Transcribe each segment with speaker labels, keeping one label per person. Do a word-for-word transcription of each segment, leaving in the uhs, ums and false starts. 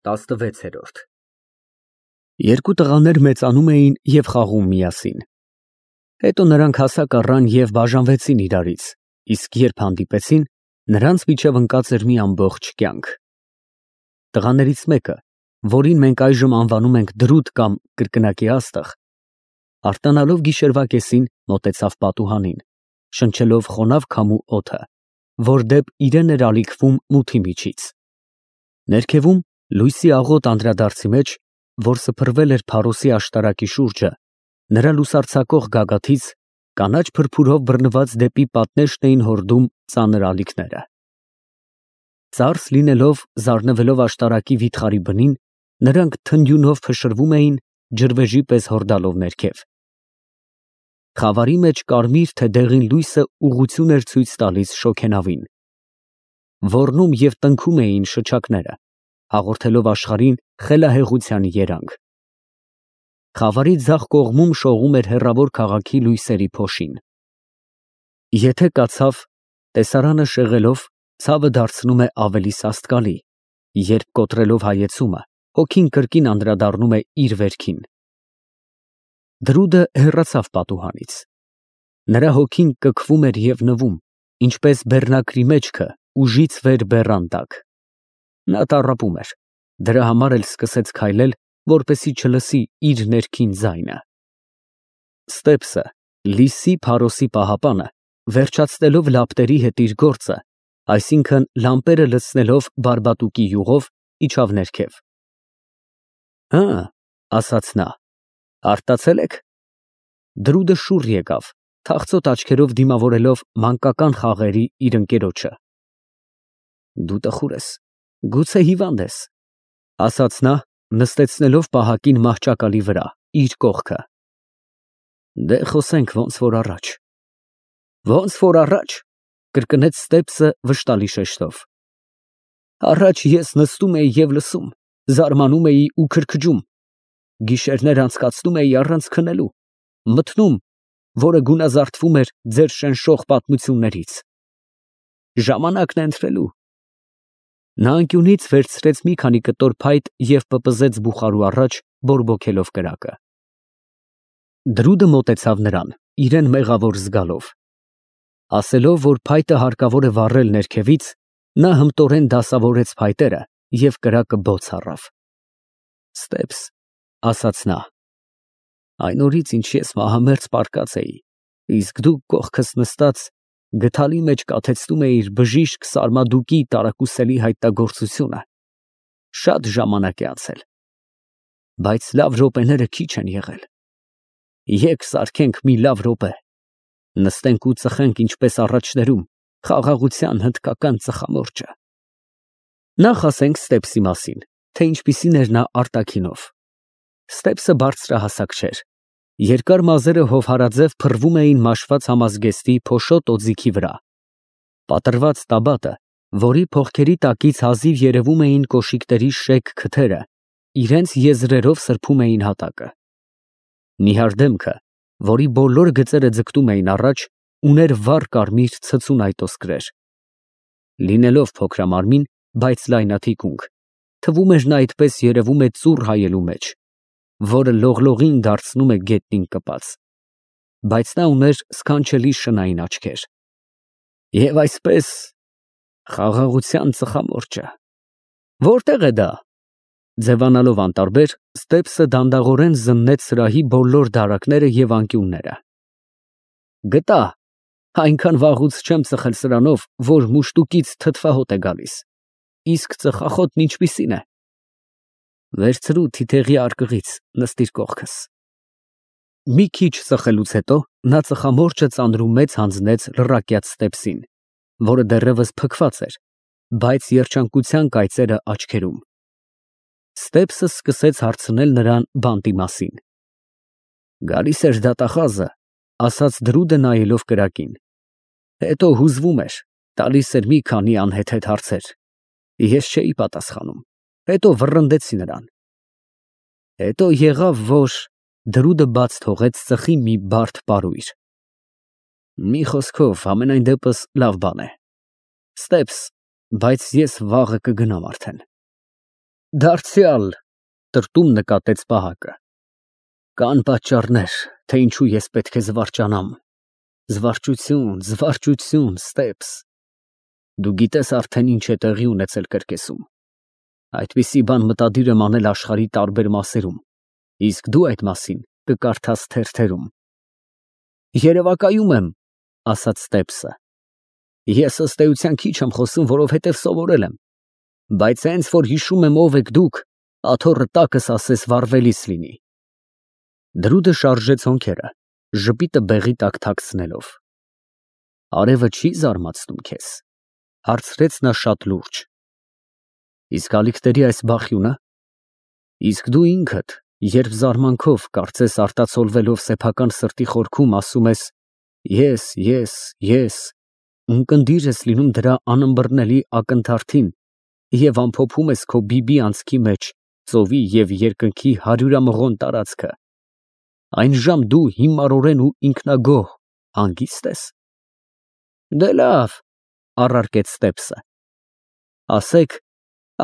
Speaker 1: տասնվեցերորդ Երկու տղաներ մեծանում էին և խաղում միասին։ Հետո նրանք հասակ առան և բաժանվեցին իրարից, իսկ երբ հանդիպեցին, նրանց միջև ընկած էր մի ամբողջ կյանք։ Տղաներից մեկը, որին մենք այժմ անվանում ենք Դրութ կամ կրկնակի Աստղ, արթնանալով գիշերվա կեսին, մոտեցավ պատուհանին, շնչելով խոնավ քամու օդը, որ դեպ իրեն էր ալիքվում մութի միջից։ Ներքևում, լույսի աղոտ անդրադարձի մեջ, որ սփռվել էր փարոսի աշտարակի շուրջը, նրա լուսարձակող գագաթից կանաչ փրփուրով բռնված դեպի պատնեշն էին հորդում ծանր ալիքները։ Ծարս լինելով, զարնվելով աշտարակի վիթխարի բնին, նրանք թնդյունով փշրվում էին, ջրվեժի պես հորդալով ներքև։ Խավարի մեջ կարմիր թե դեղին լույսը ուղղություն էր ցույց տալիս շոգենավին։ Ոռնում և տնքում էին շչակները, հաղորդելով աշխարհին խելահեղության երանգ։ Խավարի ձախ կողմում շողում էր հեռավոր քաղաքի լույսերի փոշին։ Եթե կացավ, տեսարանը շեղելով, ցավը դարձնում է ավելի սաստկալի, երբ կոտրելով հայեցումը, հոգին կրկին անդրադառնում է իր վերքին։ Դրուդը հեռացավ պատուհանից։ Նրա հոգին կքվում էր և նվում, ինչպես բեռնակրի մեջքը ուժից վեր բեռան տակ։ Նա տառապում էր, դրա համար էլ սկսեց քայլել, որպեսզի չլսի իր ներքին ձայնը։ Ստեպսը, Լիսի փարոսի պահապանը, վերջացնելով լապտերի հետ իր գործը, այսինքն լամպերը լցնելով բարբատուկի յուղով, իջավ ներքև։ Հը, ասաց նա, արտացե՞լ եք։ Դրուդը շուռ եկավ, թախծոտ աչքերով դիմավորելով մանկական խաղերի իր ընկերոջը։ Դու տխուր ես, գուցե հիվանդ ես, ասաց նա, նստեցնելով պահակին մահճակալի վրա, իր կողքը։ Դե խոսենք ոնց որ առաջ։ Ոնց որ առաջ, կրկնեց Ստեպսը վշտալի շեշտով։ Առաջ ես նստում էի և լսում, զարմանում էի ու քրքջում, գիշերներ անցկացնում էի առանց քնելու, մթնում, որը գունազարդվում էր ձեր շնշող պատմություններից։ Ժամանակն է ընթրելու։ Նա անկյունից վերցրեց մի քանի կտոր փայտ և պպզեց բուխարու առաջ, բորբոքելով կրակը։ Դրուդը մոտեցավ նրան, իրեն մեղավոր զգալով։ Ասելով, որ փայտը հարկավոր է վառել ներքևից, նա հմտորեն դասավորեց փայտերը և կրակը բոց առավ։ Ստեպս, ասաց նա, այն օրից, ինչ ես մահամերձ պառկած էի, իսկ դու կողքս նստած գդալի մեջ կաթեցնում էիր բժիշկ Սարմադուկի տարակուսելի հայտնագործությունը, շատ ժամանակ է անցել, բայց լավ րոպեները քիչ են եղել։ Եկ սարքենք մի լավ րոպե, նստենք ու ծխենք ինչպես առաջներում, խաղաղության հնդկական ծխամորճը։ Նախ ասենք Ստեպսի մասին, թե ինչպիսին էր նա արտաքինով։ Ստեպսը բարձրահասակ չէր։ Երկար մազերը հովհարաձև փռվում էին մաշված համազգեստի փոշոտ օձիքի վրա։ Պատռված տաբատը, որի փողքերի տակից հազիվ երևում էին կոշիկների շեկ քթերը, իրենց եզրերով սրբում էին հատակը։ Նիհար դեմքը, որի բոլոր գծերը ձգտում էին առաջ, ուներ վառ կարմիր ցցուն այտոսկրեր։ Լինելով փոքրամարմին, բայց լայնաթիկունք, թվում էր նա այդպես երևում է ծուռ հայելու մեջ, որը լողլողին դարձնում է գետնին կպած, բայց նա ուներ սքանչելի շնային աչքեր։ Եվ այսպես, խաղաղության ծխամորճը, որտե՞ղ է դա։ Ձևանալով անտարբեր, Ստեպսը դանդաղորեն զննեց սրահի բոլոր դարակները և անկյունները։ Գտա, այնքան վաղուց չեմ ծխել սրանով, որ մուշտուկից թթվահոտ է գալիս, իսկ ծխախոտն ինչպիսին է։ Վերցրու թիթեղի արկղից, նստիր կողքս։ Մի քիչ ծխելուց հետո նա ծխամորճը ծանրումեծ հանձնեց լռակյաց Ստեպսին, որը դեռևս փքված էր, բայց երջանկության կայծերը աչքերում։ Ստեպսը սկսեց հարցնել նրան բանտի մասին։ Գալիս էր դատախազը, ասաց Դրուդը նայելով կրակին։ Հետո հուզվում էր, տալիս էր մի քանի անհեթեթ հարցեր։ Ես չէի պատասխանում։ Հետո վռնդեցի նրան։ Հետո եղավ, որ Դրուդը բաց թողեց ծխի մի բարդ պարույր։ Մի խոսքով, համենայն դեպս լավ բան է։ Ստեպս, բայց ես վաղը կգնամ արդեն։ Դարձյալ, տրտում նկատեց պահակը։ Կան պատճառներ, թե ինչու ես պետք է զվարճանամ։ Զվարճություն, զվարճություն, Ստեփս։ Դու գիտես արդեն ինչ է տեղի ունեցել կրկեսում։ Այդպիսի բան մտադիր եմ անել աշխարհի տարբեր մասերում, իսկ դու այդ մասին կկարդաս թերթերում։ Երևակայում եմ, ասաց Ստեփսը։ Ես ըստ էության քիչ եմ խոսում, որովհետև սովորել եմ, բայց հենց որ հիշում եմ ով եք դուք, աթոռը տակս ասես վառվելիս լինի։ Դրուդը շարժեց հոնքերը, ժպիտը բեղի տակ թաքցնելով։ Արևը չի զարմացնում քեզ, հարցրեց նա շատ լուրջ։ Իսկ ալիքների այս բախյունը։ Իսկ դու ինքդ, երբ զարմանքով, կարծես արտացոլվելով սեփական սրտի խորքում, ասում ես ես, ես, ես, ունկնդիր ես լինում դրա անըմբռնելի ակնթարթին և ամփոփում ես քո բիբի անցքի մեջ ծովի և երկնքի հարյուրամղոն տարածքը, այնժամ դու հիմարորեն ու ինքնագոհ հանգիստ ես։ Դե լավ, առարկեց Ստեփսը, ասեք,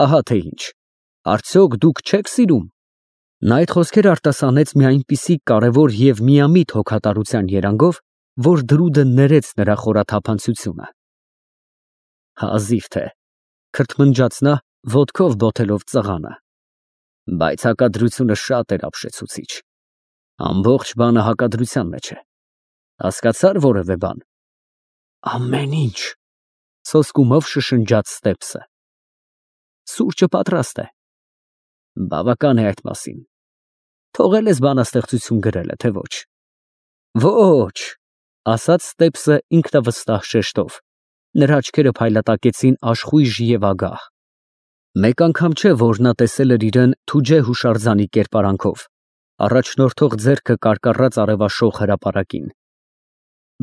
Speaker 1: ահա թե ինչ, արդյոք դուք չեք սիրում։ Նա այդ խոսքերը արտասանեց մի այնպիսի կարևոր և միամիտ հոգատարության երանգով, որ Դրուդը ներեց նրա խորաթափանցությունը։ Հազիվ թե, քրթմնջաց նա, ոտքով բոթելով ծղանը, բայց հակադրությունը շատ էր ապշեցուցիչ։ Ամբողջ բանը հակադրության մեջ է։ Հասկացա՞ր որևէ բան։ Ամեն ինչ, սոսկումով շշնջաց Ստեփսը։ Սուրճը պատրաստ է։ Բավական է այդ մասին։ Թողել ես բանաստեղծություն գրելը, թե ոչ։ Ոչ, ասաց Ստեփսը ինքնավստահ շեշտով։ Նրա աչքերը փայլատակեցին աշխույժ և ագահ։ Մեկ անգամ չէ, որ նա տեսել էր իրեն Թուջե հուշարձանի կերպարանքով, առաջնորդող ձեռքը կարկառած արևաշող հրապարակին։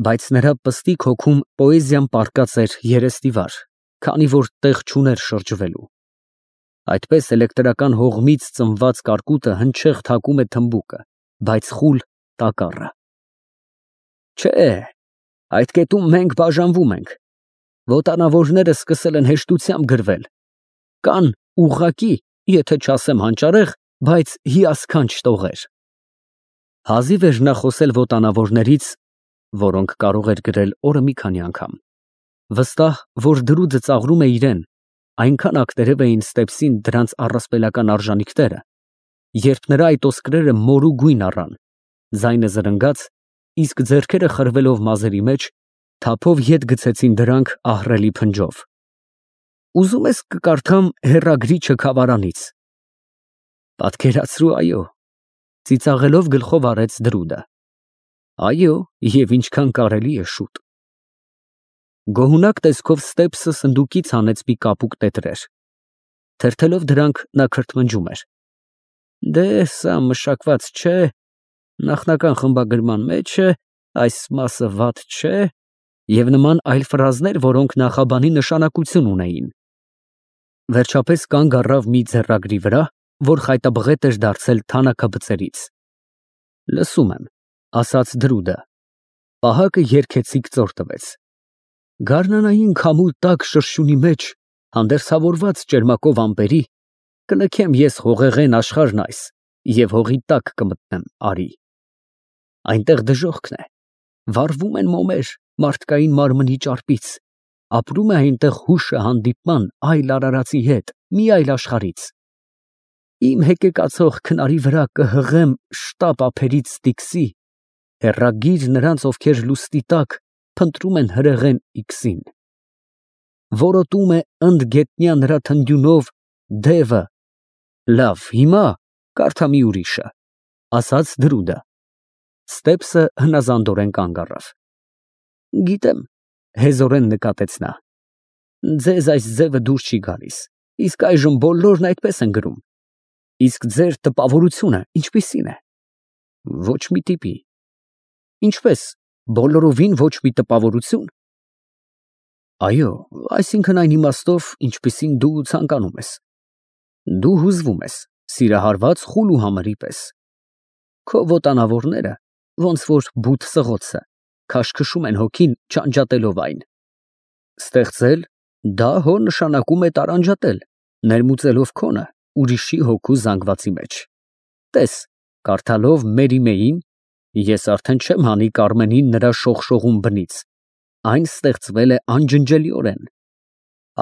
Speaker 1: Բայց նրա պստիկ հոգում պոեզիան պառկած էր երեսնիվար, քանի որ տեղ չուներ շրջվելու։ Այդպես էլեկտրական հողմից ծնված կարկուտը հնչեղ թակում է թմբուկը, բայց խուլ տակառը։ Չէ, այդ կետում մենք բաժանվում ենք։ Ոտանավորները սկսել են հեշտությամբ գրվել։ Կան ուղղակի, եթե չասեմ հանճարեղ, բայց հիասքանչ տողեր։ Հազիվ էր նա խոսել ոտանավորներից, որոնք կարող էր գրել օրը մի քանի անգամ, վստահ, որ Դրուդը ծաղրում է իրեն, այնքան ակտերև էին Ստեփսին դրանց առասպելական արժանիքները, երբ նրա այդ ոսկրերը մորու գույն առան, ձայնը զրնգաց, իսկ ձեռքերը խրվելով մազերի մեջ, թափով ետ գցեցին դրանք ահռելի փնջով։ Ուզում ես կկարդամ հեռագրի չքավարանից։ Պատկերացրու, այո, ծիծաղելով գլխով արեց Դրուդը։ Այո, և ինչքան կարելի է շուտ։ Գոհունակ տեսքով Ստեփսը սնդուկից հանեց մի կապուկ տետրեր։ Թերթելով դրանք նա քրթմնջում էր։ Դե սա մշակված չէ, նախնական խմբագրման մեջ է, այս մասը վատ չէ, և նման այլ ֆրազներ, որոնք նախաբանի նշանակություն ունեին։ Վերջապես կանգ առավ մի ձեռագրի վրա, որ խայտաբղետ էր դարձել թանաքաբծերից։ Լսում եմ, ասաց Դրուդը։ Պահակը երգեցիկ ծոր տվեց։ Գարնանային քամու տաք շրշյունի մեջ, հանդերձավորված ճերմակով ամպերի, կլքեմ ես հողեղեն աշխարհն այս, և հողի տակ կմտնեմ արի։ Այնտեղ դժոխքն է, վառվում են մոմեր մարդկային մարմնի ճարպից, ապրում է այնտեղ հուշը հանդիպման այլ արարածի հետ, մի այլ աշխարհից։ Իմ հեկեկացող քնարի վրա կհղեմ շտապ ափերից Ստիքսի, հեռագիր նրանց, ովքեր լուստի տակ փնտրում են հրեղեն իքսին։ Որոտում է ընդգետնյա նրա թնդյունով դևը։ Լավ, հիմա կարդա մի ուրիշը, ասաց Դրուդը։ Ստեփսը հնազանդորեն կանգ առավ։ Գիտեմ, հեզորեն նկատեց նա։ Ձեզ այս ձևը դուր չի գալիս, իսկ այժմ բոլորն այդպես են գրում։ Իսկ ձեր տպավորությունը ինչպիսին է։ Ոչ մի տիպի։ Ինչպես, բոլորովին ոչ մի տպավորություն։ Այո, այսինքն այն իմաստով, ինչպիսին դու ցանկանում ես։ Դու հուզվում ես, սիրահարված խուլ ու համրի պես։ Քո ոտանավորները, ոնց որ բութ սղոցը, քաշքշում են հոգին չանջատելով այն։ Ստեղծել, դա հո նշանակում է տարանջատել, ներմուծելով քոնը ուրիշի հոգու զանգվածի մեջ։ Տես, կարդալով Մերիմեին, ես արդեն չեմ հանի Կարմենին նրա շողշողուն բնից, այն ստեղծվել է անջնջելիորեն։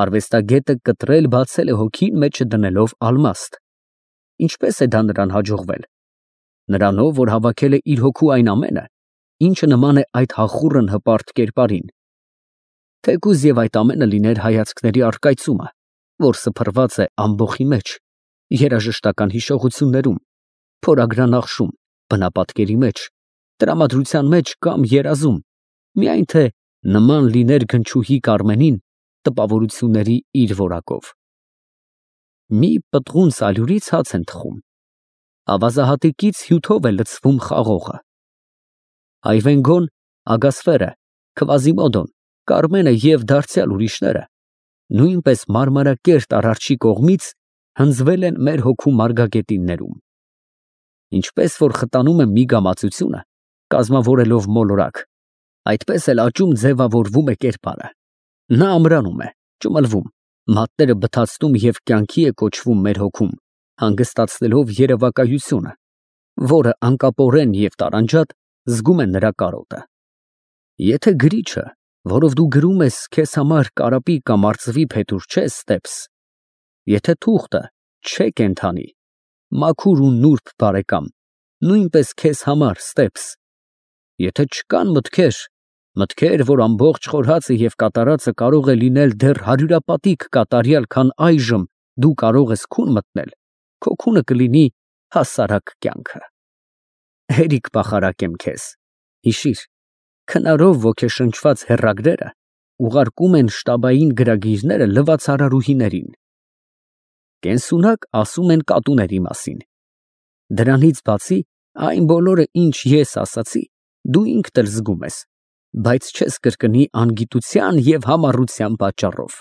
Speaker 1: Արվեստագետը կտրել բացել է հոգին մեջը դնելով ալմաստ։ Ինչպես է դա նրան հաջողվել։ Նրանով, որ հավաքել է իր հոգու այն ամենը, ինչը նման է այդ հախուռն հպարտ կերպարին։ Թեկուզ և այդ ամենը լիներ հայացքների առկայծումը, որ սփռված է ամբոխի մեջ, երաժշտական հիշողություններում, փորագրանախշում, բնապատկերի մեջ, տրամադրության մեջ կամ երազում, միայն թե նման լիներ գնչուհի Կարմենին տպավորությունների իր որակով։ Մի պտղուն սալյուրից հաց են թխում, ավազահատիկից հյութով է լցվում խաղողը։ Այվենգոն, Ագասֆերը, Քվազիմոդոն, Կարմենը և դարձյալ ուրիշները նույնպես մարմարակերտ Արարչի կողմից հնձվել են մեր հոգու մարգագետիններում։ Ինչպես որ խտանում է մի գամացությունը, կազմավորելով մոլորակ, այդպես էլ աճում ձևավորվում է կերպարը։ Նա ամրանում է, ճմլվում, մատները բթացնում և կյանքի է կոչվում մեր հոգում, հանգստացնելով երևակայությունը, որը անկապորեն և տարանջատ զգում է նրա կարոտը։ Եթե գրիչը, որով դու գրում ես, քեզ համար կարապի կամ արծվի փետուր չէ, Ստեփս, եթե թուղթը չէ կենդանի, մաքուր ու նուրբ բարեկամ, նույնպես քեզ համար, Ստեփս, եթե չկան մտքեր, մտքեր, որ ամբողջ խորհածը և կատարածը կարող է լինել դեռ հարյուրապատիկ կատարյալ, քան այժմ դու կարող ես քուն մտնել, քո քունը կլինի հասարակ կյանքը։ Հերիք պախարակեմ քեզ, հիշիր, քնարով ոգեշնչված հեռագրերը ուղարկում են շտաբային գրագիրները լվացարարուհիներին։ Կենսունակ ասում են կատուների մասին։ Դրանից բացի, այն բոլորը, ինչ ես ասացի, դու ինքդ էլ զգում ես, բայց չես կրկնի անգիտության և համառության պատճառով։